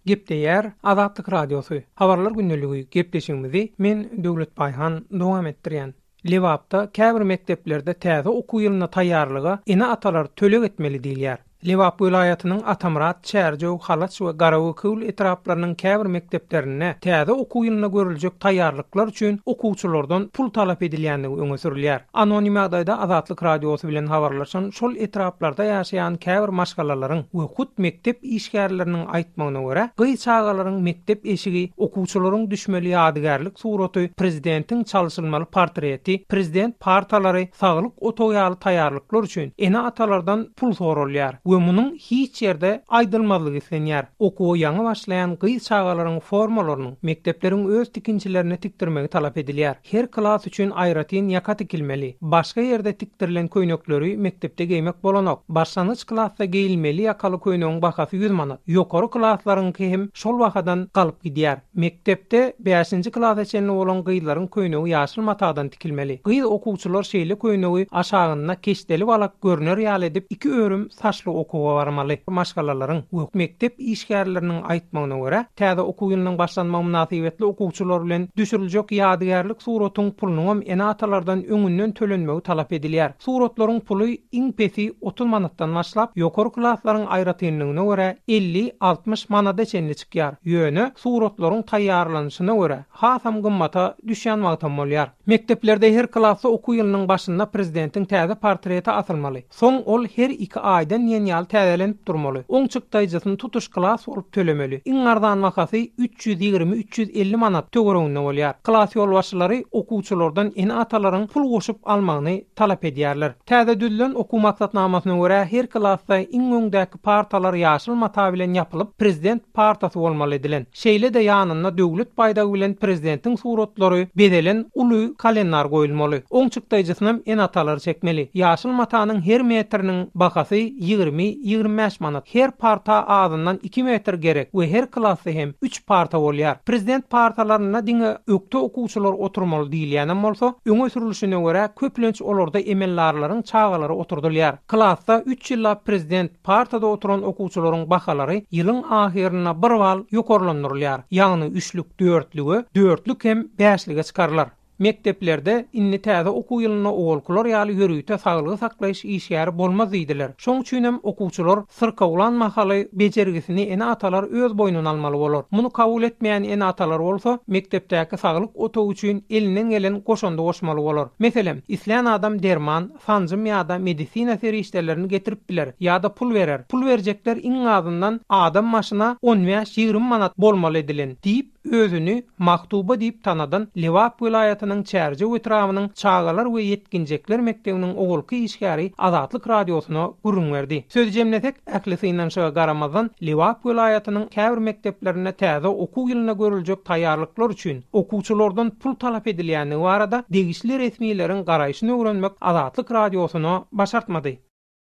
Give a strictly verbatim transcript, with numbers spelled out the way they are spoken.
Gepleýär Azatlyk Radiosy. Habarlar gündeligi gepleşigimizi men Döwlet Baýhan dowam etdirýän. Lebapda käbir mekdeplerde täze okuw ýylyna taýýarlyga ene-atalar töleg etmeli diýilýär. Lebap welaýatynyň Atamyrat, Çärjew, Halaç we Garagökül etraplarynyň käbir mekdeplerinde täze okuw ýylyna görüljek taýýarlyklar üçin okuwçylardan pul talap edilýändigi öňe sürülýär. Anonim ýagdaýda Azatlyk Radiosy bilen habarlaşan şol etraplarda ýaşaýan käbir maşgalalaryň we hut mekdep işgärleriniň aýtmagyna görä, gyz çagalaryň mekdep eşigi, okuwçylaryň düşmeli ýadygärlik suraty, prezidentiň çalşylmaly portreti, prezident partalary, saglyk otagy ýaly taýýarlyklar üçin ene-atalardan pul soralýar we munuň hiç ýerde aýdylmazlygy islenýär. Okuwa ýaňy başlaýan gyz çagalaryň formalarynyň mekdepleriň öz tikinçilerine tikdirmegi talap edilýär. Her klas üçin aýratyn ýaka tikilmeli. Başga ýerde tikdirilen köýnekleri mekdepde geýmek bolanok. Başlangyç klasda geýilmeli ýakaly köýnegiň bahasy ýüz manat. Ýokary klaslaryňky hem şol bahadan galyp gidýär. Mekdepde bäşinji klasa çenli bolan gyzlaryň köýnegi ýaşyl matadan tikilmeli. Gyz okuwçylar şeýle köýnegi aşagynda keşdeli balak görner ýaly edip iki örüm saçly okuwa barmaly. Maşgalalaryň we mekdep işgärleriniň aýtmagyna görä, täze okuw ýylynyň başlanmagy mynasybetli okuwçylar bilen düşüriljek ýadygärlik suratyň pulunyň ene-atalardan öňünden tölenmegi talap edilýär. Suratlaryň puly iň pesi otuz manatdan başlap, ýokary klaslaryň aýratynlygyna görä elli altmyş manada çenli çykýar. Ýöne suratlaryň taýýarlanyşyna görä hasam gymmata düşýän wagtam bolýar. Mekdeplerde her klasda okuw ýylynyň başynda prezidentiň täze portreti asylmaly. Soň ol her iki aýdan diýen ýaly täzelenip durmaly. Oň çykdaýjysyny tutuş klas bolup tölemeli. Iň arzan bahasy üç ýüz ýigrimi üç ýüz elli manat töwereginde bolýar. Klas ýolbaşçylary okuwçylardan ene-atalaryň pul goşup almagyny talap edýärler. Täze düzülen okuw maksatnamasyna görä her klasda iň öňdäki partalar ýaşyl mata bilen ýapylyp, prezident partasy bolmaly edilen. Şeýle-de ýanynda döwlet baýdagy bilen prezidentiň suratlary bezelen uly kalendar goýulmaly. Oň çykdaýjysyny ene-atalar çekmeli. Ýaşyl matanyň her metriniň bahasy ýigrimi ýigrimi bäş manat. Her parta azyndan iki metr gerek we her klasda hem üç parta bolýar. Prezident partalarynda diňe ökde okuwçylar oturmaly diýilýänem bolsa, öňe sürülişine görä köplenç olarda emeldarlaryň çagalary oturdylýar. Klasda üç ýyllap prezident partada oturan okuwçylaryň bahalary ýylyň ahyrynda bir bal ýokarlandyrylýar. Ýagny üçlük dörtlüge, dörtlük hem bäşlige çykarlar. Mekdeplerde indi täze okuw ýylynda owalkylar ýaly ýörite saglygy saklaýyş işgäri bolmaz diýdiler. Şoň üçin hem okuwçylar syrkawlan mahaly bejergisini ene-atalar öz boýnuna almaly bolar. Muny kabul etmeýän ene-atalar bolsa mekdepdäki saglyk otagy üçin elinden gelen goşundy goşmaly bolar. Meselem, islän adam derman, sanjym ýa-da medisina serişdelerini getirip biler ýa-da pul berer. Pul berjekler iň azyndan adam başyna on bäş ýigrimi manat bolmaly edilen diýip özüni Maktuba diýip tanadan Lebap welaýatynyň Çärjew etrabynyň Çagalar we Ýetginjekler mekdebiniň owalky işgäri Azatlyk Radiosyna gürrüň berdi. Söz jemlesek, ähli synanyşyga garamazdan Lebap welaýatynyň käbir mekdeplerinde täze okuw ýylyna görüljek taýýarlyklar üçin okuwçylardan pul talap edilýändigi barada degişli resmileriň garaýşyny öwrenmek Azatlyk Radiosyna başartmady.